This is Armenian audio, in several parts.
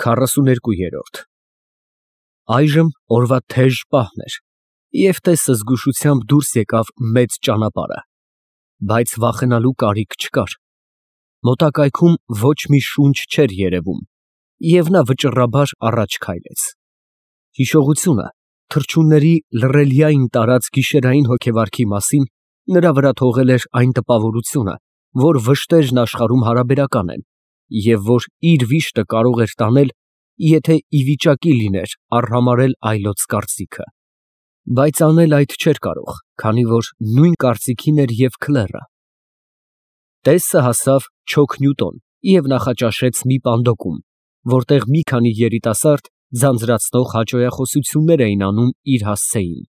42-րդ Այժմ օրվա թեժ պահն էր, և տեսը զգուշությամբ դուրս եկավ մեծ ճանապարհը, բայց վախենալու կարիք չկար. մոտակայքում ոչ մի շունչ չէր երևում, և նա վճռաբար առաջ քայլեց. հիշողությունը թռչունների լռելիային տարած գիշերային հոգեվարքի մասին նրա վրա թողել էր այն տպավորությունը, որ վշտերն աշխարհում հարաբերական են, և որ իր վիշտը կարող էր տանել, եթե ի վիճակի լիներ արհամարհել այլոց կարծիքը, բայց անել այդ չէր կարող, քանի որ նույն կարծիքին էր և քլեռը. Տեսը հասավ Չոքնյուտոն և նախաճաշեց մի պանդոկում, որտեղ մի քանի երիտասարդ ձանձրացնող հաճոյախոսություններ էին անում իր հասցեին.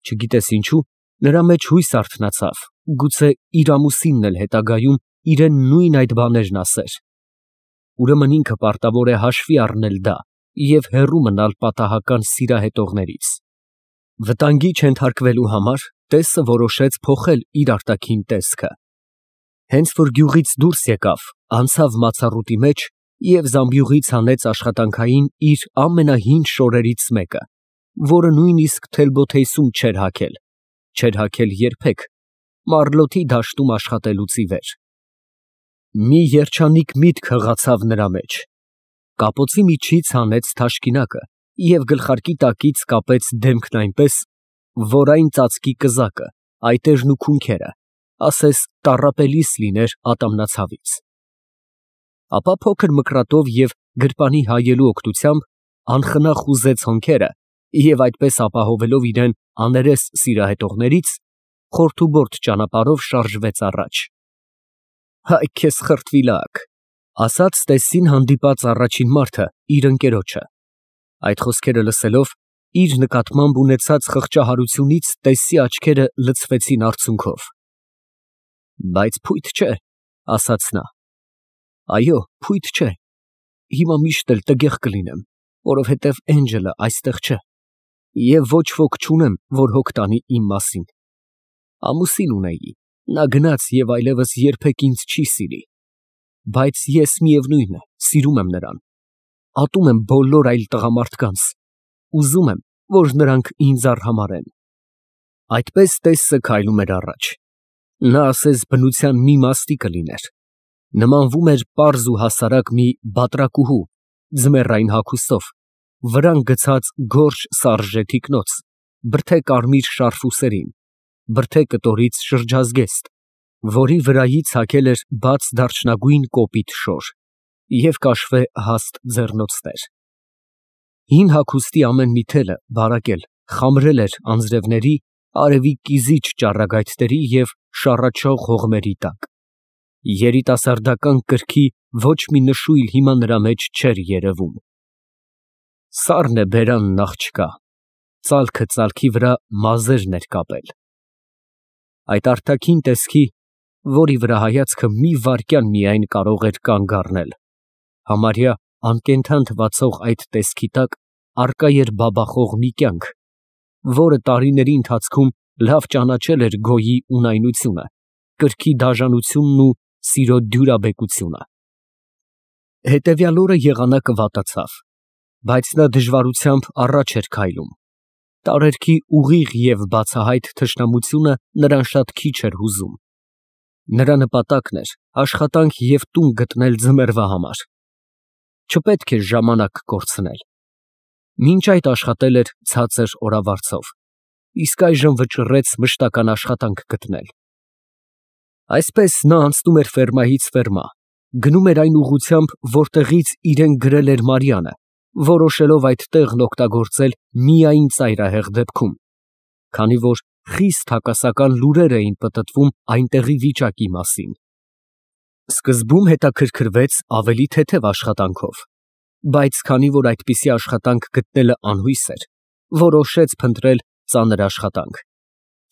չգիտես ինչու, նրա մեջ հույս արթնացավ, գուցե իր ամուսինն էլ հետագայում իրեն նույն այդ բաներն ասեր. ուրեմն ինքը պարտավոր է հաշվի առնել դա և հեռու մնալ պատահական սիրահետողներից. վտանգի չենթարկվելու համար տեսը որոշեց փոխել իր արտաքին տեսքը. հենց որ գյուղից դուրս եկավ, անցավ մացառուտի մեջ և զամբյուղից հանեց աշխատանքային իր ամենահին շորերից մեկը, որը նույնիսկ թելբոթեյսում չէր հագել երբեք, Մարլոթի դաշտում աշխատելուց ի վեր. մի երջանիկ միտք հղացավ նրա մեջ. կապոցի միջից հանեց թաշկինակը և գլխարկի տակից կապեց դեմքն այնպես, որ այն ծածկի կզակը, այտերն ու քունքերը, ասես տառապելիս լիներ ատամնացավից. ապա փոքր մկրատով և գրպանի հայելու օգնությամբ անխնա խուզեց հոնքերը և այդպես ապահովելով իրեն աներես սիրահետողներից, խորթուբորտ ճանապարհով շարժվեց առաջ. «Հայ քեզ խրտվիլակ», ասաց տեսին հանդիպած առաջին մարդը իր ընկերոջը. այդ խոսքերը լսելով, իր նկատմամբ ունեցած խղճահարությունից տեսի աչքերը լցվեցին արցունքով. բայց փույթ չէ, ասաց նա, այո, փույթ չէ, հիմա միշտ էլ տգեղ կլինեմ, որովհետև Էնջելը այստեղ չէ, և ոչ ոք չունեմ, որ հոգ տանի իմ մասին. ամուսին ունեի, նա գնաց և այլևս երբեք ինձ չի սիրի, բայց ես միևնույն է, սիրում եմ նրան, ատում եմ բոլոր այլ տղամարդկանց, ուզում եմ, որ նրանք ինձ արհամարհեն. այդպես տեսը քայլում էր առաջ, նա ասես բնության մի մաստի կլիներ, նմանվում էր պարզ ու հասարակ մի բատրակուհու, ձմեռային հագուստով, վրան գցած գորշ սարժե թիկնոց, բրդե կարմիր շարֆուսերին, բրդե կտորից շրջազգեստ, որի վրայից հագել էր բաց դարչնագույն կոպիտ շոր և կաշվե հաստ ձեռնոցներ. հին հագուստի ամեն մի թելը բարակել, խամրել էր անձրևների, արևի կիզիչ ճառագայթների և շառաչող հողմերի տակ. երիտասարդական կրքի ոչ մի նշույլ հիմա նրա մեջ չէր երևում. սառն է բերանն աղջկա, ծալքը ծալքի վրա մազերն էր կապել. այդ արտաքին տեսքի, որի վրա հայացքը մի վայրկյան միայն կարող էր կանգ առնել, համարյա անկենդան թվացող այդ տեսքի տակ առկա էր բաբախող մի կյանք, որը տարիների ընթացքում լավ ճանաչել էր գոյի ունայնությունը, կրքի դաժանությունն ու սիրո դյուրաբեկությունը. հետևյալ օրը եղանակը վատացավ, բայց նա դժվարությամբ առաջ էր քայլում. տարերքի ուղիղ և բացահայտ թշնամությունը նրան շատ քիչ էր հուզում. նրա նպատակն էր աշխատանք և տուն գտնել ձմեռվա համար. չպետք էր ժամանակ կորցնել. մինչ այդ աշխատել էր ցածր օրավարձով, իսկ այժմ վճռեց մշտական աշխատանք գտնել. այսպես նա անցնում էր ֆերմայից ֆերմա, գնում էր այն ուղղությամբ, որտեղից իրեն գրել էր Մարիանը, որոշելով այդ տեղն օգտագործել միայն ծայրահեղ դեպքում, քանի որ խիստ հակասական լուրեր էին պտտվում այնտեղի վիճակի մասին. սկզբում հետաքրքրվեց ավելի թեթև աշխատանքով, բայց քանի որ այդպիսի աշխատանք գտնելը անհույս էր, որոշեց փնտրել ծանր աշխատանք.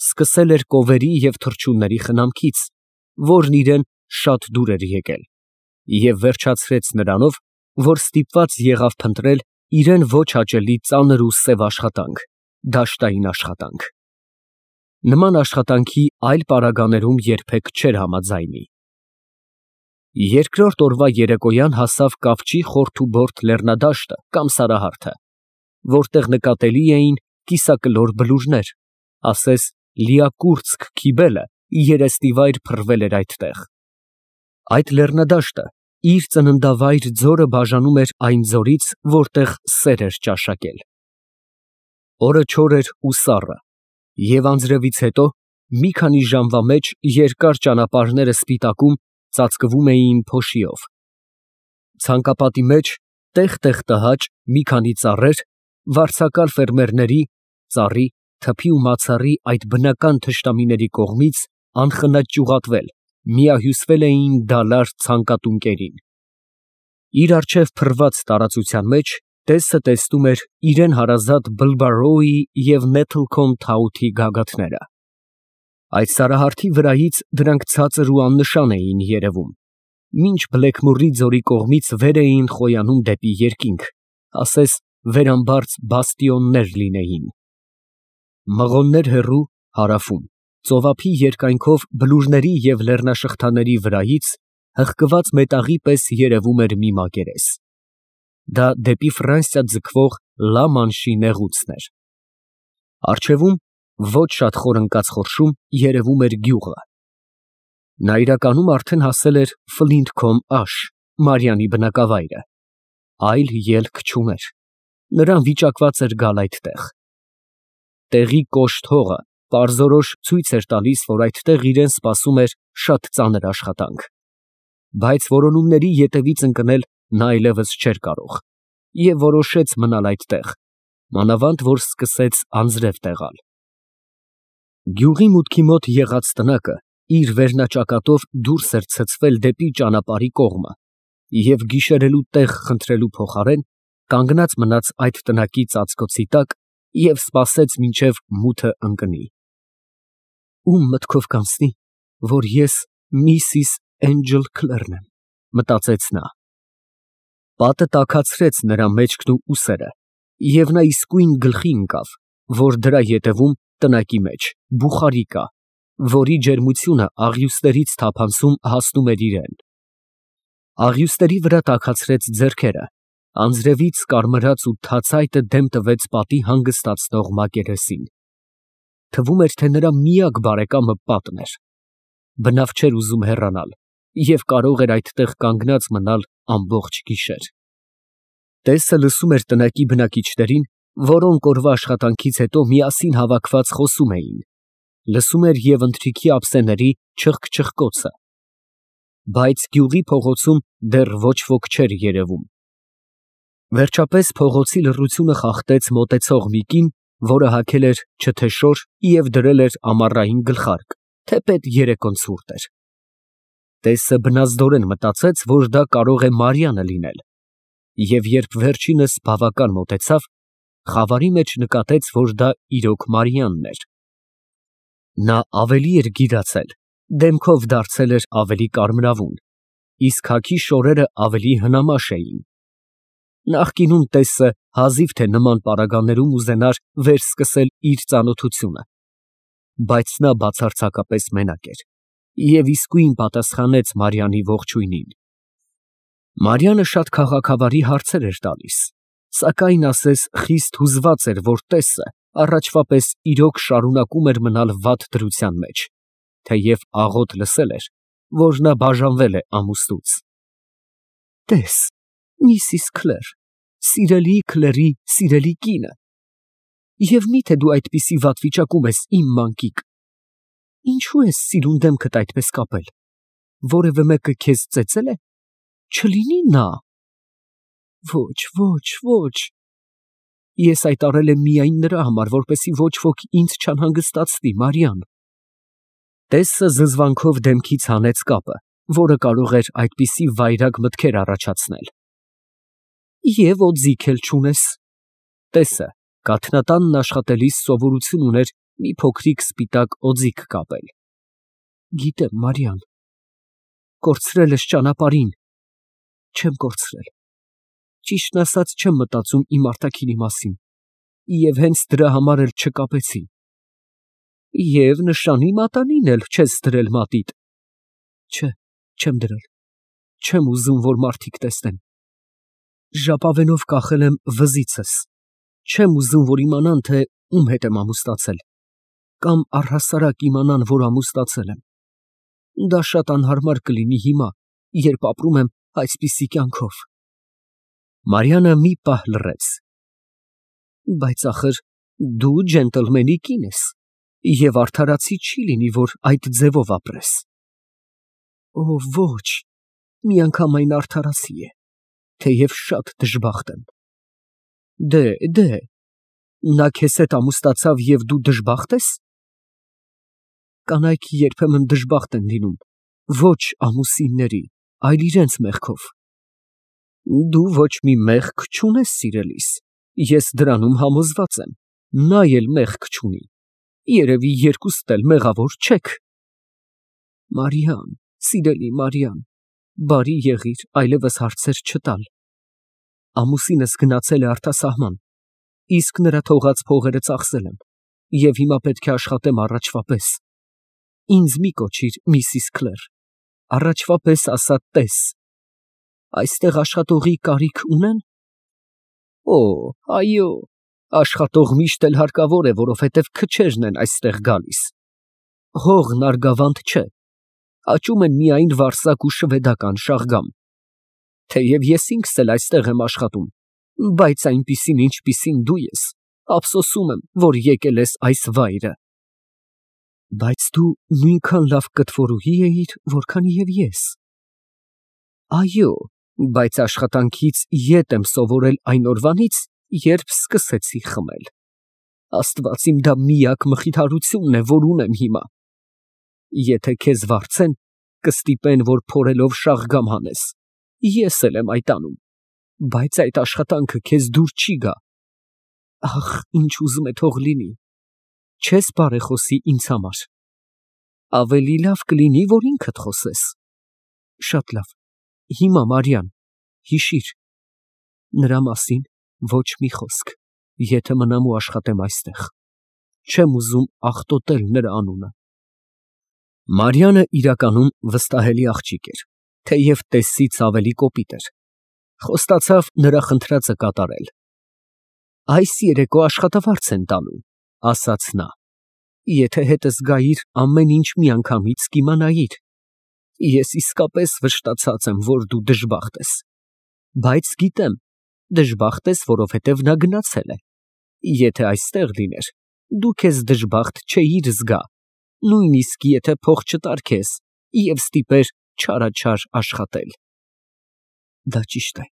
սկսել էր կովերի և թռչունների խնամքից, որն իրեն շատ դուր էր եկել, և վերջացրեց նրանով, որ ստիպված եղավ փնտրել իրեն ոչ հաճելի ծանր ու սև աշխատանք, դաշտային աշխատանք. նման աշխատանքի այլ պարագաներում երբեք չէր համաձայնի. Երկրորդ օրվա երեկոյան հասավ կապչի խորթուբորդ լեռնադաշտը կամ Սարահարթը, որտեղ նկատելի էին կիսակլոր բլուրներ, ասես Լիակուրծք քիբելը երեսնիվայր փռվել էր այդտեղ։ Այդ լեռնադաշտը իր ծննդավայր ձորը բաժանում էր այն ձորից, որտեղ սեր էր ճաշակել։ Օրը չոր էր ու սառը, և անձրևից հետո մի քանի ժամվա մեջ երկար ճանապարհները սպիտակում ծածկվում էին փոշիով։ Ցանկապատի մեջ տեղ֊տեղ տհաճ մի քանի ծառեր, վարձակալ ֆերմերների, ծառի, թփի ու մացառի այդ բնական թշնամիների կողմից անխնա ճյուղատվել, միահյուսվել էին դալար ցանկատունկերին։ Իր առջև փռված տարածության մեջ տեսը տեսնում էր իրեն հարազատ Բլբարոուի և Նեթլքոմ Թաութի գագաթները։ Այդ Սարահարթի վրայից դրանք ցածր ու աննշան էին երևում, մինչ Բլեքմորի ձորի կողմից վեր էին խոյանում դեպի երկինք, ասես վերամբարձ բաստիոններ լինեին։ Մղոններ հեռու, հարավում, ծովափի երկայնքով բլուրների և լեռնաշղթաների վրայից հղկված մետաղի պես երևում էր մի մակերես։ Դա դեպի Ֆրանսիա ձգվող Լա Մանշի նեղուցն էր։ Առջևում, ոչ շատ խոր ընկած խորշում, երևում էր գյուղը։ Նա իրականում արդեն հասել էր Ֆլինթքոմ աշ, Մարիանի բնակավայրը, այլ ելք չուներ, նրան վիճակված էր գալ այդտեղ։ Տեղի կոշտ հողը պարզորոշ ցույց էր տալիս, որ այդտեղ իրեն սպասում էր շատ ծանր աշխատանք, բայց որոնումների ետևից ընկնել նա այլևս չէր կարող և որոշեց մնալ այդտեղ, մանավանդ որ սկսեց անձրև տեղալ։ Գյուղի մուտքի մոտ եղած տնակը իր վերնաճակատով դուրս էր ցցվել դեպի ճանապարհի կողմը և գիշերելու տեղ խնդրելու փոխարեն կանգնած մնաց այդ տնակի ծածկոցի տակ և սպասեց մինչև մութը ընկնի։ Ում մտքով կանցնի, որ ես Միսիս Էնջել Քլերն եմ, մտածեց նա։ Պատը տաքացրեց նրա մեջքն ու ուսերը, և նա իսկույն գլխի ընկավ, որ դրա ետևում տնակի մեջ բուխարի կա, որի ջերմությունը աղյուսներից թափանցում հասնում էր իրան։ Աղյուսների վրա տաքացրեց ձեռքերը, անձրևից կարմրած ու թացայտը դեմ տվեց պատի հանգստացնող մակերեսին։ Թվում էր, թե նրա միակ բարեկամը պատն էր։ Բնավ չէր ուզում հեռանալ և կարող էր այդտեղ կանգնած մնալ ամբողջ գիշեր։ Տեսը լսում էր տնակի բնակիչներին, որոնք օրվա աշխատանքից հետո միասին հավաքված խոսում էին, լսում էր և ընթրիքի ափսեների չխկչխկոցը, բայց գյուղի փողոցում դեռ ոչ ոք չէր երևում։ Վերջապես փողոցի լռությունը խախտեց մոտեցող մի կին, որը հագել էր չթեշոր և դրել էր ամառային գլխարկ, թեպետ երեկոն ցուրտ էր։ Տեսը բնազդորեն մտածեց, որ դա կարող է Մարիանը լինել, և երբ վերջինս բավական մոտեցավ, խավարի մեջ նկատեց, որ դա իրոք Մարիանն էր։ Նա ավելի էր գիրացել, դեմքով դարձել էր ավելի կարմրավուն, իսկ հագի շորերը ավելի հնամաշ էին։ Նախկինում տեսը հազիվ թե նման պարագաներում ուզենար վերսկսել իր ծանոթությունը, բայց նա բացարձակապես մենակ էր և իսկույն պատասխանեց Մարիանի ողջույնին։ Մարիանը շատ քաղաքավարի հարցեր էր տալիս, սակայն ասես խիստ հուզված էր, որ տեսը առաջվա պես իրոք շարունակում էր մնալ վատ դրության մեջ, թեև աղոտ լսել էր, որ նա բաժանվել է ամուսնուց։ Տես, Միսիս Քլեր, սիրելի Քլերի սիրելի կինը, և միթե դու այդպիսի վատ վիճակում ես, իմ մանկիկ, ինչու ես սիրուն դեմքդ այդպես կապել, որևէ մեկը քեզ ծեծել է, չլինի նա։ Ոչ, ոչ, ոչ, ես այդ արել եմ միայն նրա համար, որպեսզի ոչ ոք ինձ չանհանգստացնի, Մարիան։ Տեսը զզվանքով դեմքից հանեց կապը, որը կարող էր այդպիսի վայրագ մտքեր առաջացնել։ Եվ օձիք էլ չունես։ Տեսը կաթնատանն աշխատելիս սովորություն ուներ մի փոքրիկ սպիտակ օձիք կապել։ Գիտեմ, Մարիան, կորցրել ես ճանապարհին։ Չեմ կորցրել։ Ճիշտն ասած, չեմ մտածում իմ արտաքինի մասին և հենց դրա համար էլ չկապեցի։ Եվ նշանի մատանին էլ չես դրել մատիդ։ Չէ, չեմ դրել։ Չեմ ուզում, որ մարդիկ տեսնեն։ Ժապավենով կախել եմ վզիցս։ Չեմ ուզում, որ իմանան, թե ում հետ եմ ամուսնացել, կամ առհասարակ իմանան, որ ամուսնացել եմ։ Դա շատ անհարմար կլինի հիմա, երբ ապրում եմ այսպիսի կյանքով։ Մարիանը մի պահ լռեց։ Բայց ախր դու ջենտլմենի կին ես, և արդարացի չի լինի, որ այդ ձևով ապրես։ Օ, ոչ, միանգամայն արդարացի է, թեև շատ դժբախտ եմ։ Դե, նա քեզ հետ ամուսնացավ և դու դժբախտ ես։ Կանայք երբեմն դժբախտ են լինում, ոչ ամուսինների, այլ իրենց մեղքով։ Դու ոչ մի մեղք չունես, սիրելիս, ես դրանում համոզված եմ, նա էլ մեղք չունի, երևի երկուստ էլ մեղավոր չեք։ Մարիամ, սիրելի Մարիամ, բարի եղիր այլևս հարցեր չտալ։ Ամուսինս գնացել է արտասահման, իսկ նրա թողած փողերը ծախսել եմ, և հիմա պետք է աշխատեմ առաջվա պես։ Ինձ մի կոչիր Միսիս Քլեր, առաջվա պես ասա տես։ Այստեղ աշխատողի կարիք ունեն։ Օ, այո, աշխատող միշտ էլ հարկավոր է, որովհետև քչերն են այստեղ գալիս։ Հողն արգավանդ չէ, աճում են միայն վարսակ ու շվեդական շաղգամ։ Թեև ես ինքս էլ այստեղ եմ աշխատում, բայց այնպիսին, ինչպիսին դու ես, ափսոսում եմ, որ եկել ես այս վայրը։ Բայց դու նույնքան լավ կտվորուհի էիր, որքան և ես։ Այո, բայց աշխատանքից ետ եմ սովորել այն օրվանից, երբ սկսեցի խմել։ Աստված իմ, դա միակ մխիթարությունն է, որ ունեմ հիմա։ Եթե քեզ վարձեն, կստիպեն, որ փորելով շաղգամ հանես, ես էլ եմ այդ անում, բայց այդ աշխատանքը քեզ դուր չի գա։ Ախ, ինչ ուզում է թող լինի, չես բարեխոսի ինձ համար։ Ավելի լավ կլինի, որ ինքդ խոսես։ Շատ լավ, հիմա Մարիան, հիշիր, նրա մասին ոչ մի խոսք, եթե մնամ ու աշխատեմ այստեղ, չեմ ուզում աղտոտել նրա անունը։ Մարիանը իրականում վստահելի աղջիկ էր, թեև տեսից ավելի կոպիտ էր։ Խոստացավ նրա խնդրածը կատարել։ Այս երեկո աշխատավարձ են տալու, ասաց նա։ Եթե հետս գայիր, ամեն ինչ միանգամից կիմանայիր։ Ես իսկապես վշտացած եմ, որ դու դժբախտ ես։ Բայց գիտեմ, դժբախտ ես, որովհետև նա գնացել է։ Եթե այստեղ լիներ, դու քեզ դժբախտ չէիր զգա, նույնիսկ եթե փող չտար քեզ և ստիպեր չարաչար աշխատել։ Դա ճիշտ է,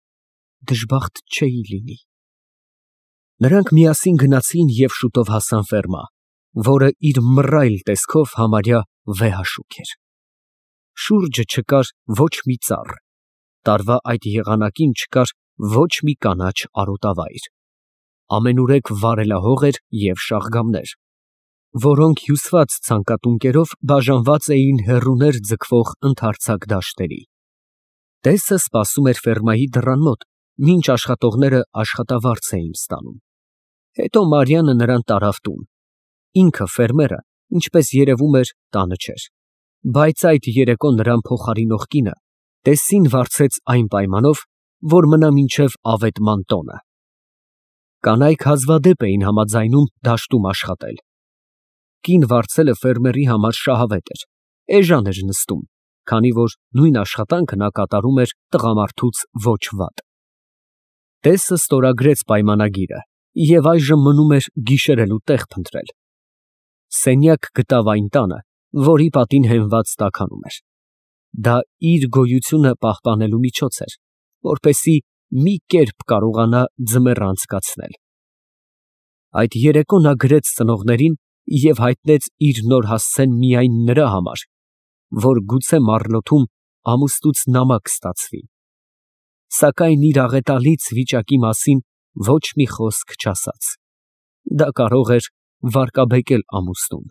դժբախտ չէի լինի։ Նրանք միասին գնացին և շուտով հասան ֆերմա, որը իր մռայլ տեսքով համարյա վեհաշուք էր։ Շուրջը չկար ոչ մի ծառ, տարվա այդ եղանակին չկար ոչ մի կանաչ արոտավայր։ Ամենուրեք վարելահող էր և շաղգամներ, որոնք հյուսված ցանկատունկերով բաժանված էին հեռուներ ձգվող ընդարձակ դաշտերի։ Տեսը սպասում էր ֆերմայի դռան մոտ, մինչ աշխատողները աշխատավարձ էին ստանում։ Հետո Մարիանը նրան տարավ տուն։ Ինքը ֆերմերը, ինչպես երևում էր, տանը չէր, բայց այդ երեկո նրան փոխարինող կինը տեսին վարձեց այն պայմանով, որ մնա մինչև ավետման տոնը։ Կանայք հազվադեպ էին համաձայնում դաշտում աշխատել։ Կին վարձելը ֆերմերի համար շահավետ էր, էժան էր նստում, քանի որ նույն աշխատանքը նա կատարում էր տղամարդուց ոչ վատ։ Տեսը ստորագրեց պայմանագիրը և այժմ մնում էր գիշերելու տեղ փնտրել։ Սենյակ գտավ այն տանը, որի պատին հենված տաքանում էր։ Դա իր գոյությունը պահպանելու միջոց էր, որպեսզի մի կերպ կարողանա ձմեռ անցկացնել։ Այդ երեկո նա գրեց ծնողներին և հայտնեց իր նոր հասցեն միայն նրա համար, որ գուցե մառլոթում ամուսնուց նամակ ստացվի։ Սակայն իր աղետալից վիճակի մասին ոչ մի խոսք չասաց։ Դա կարող էր վարկաբեկել ամուսնուն։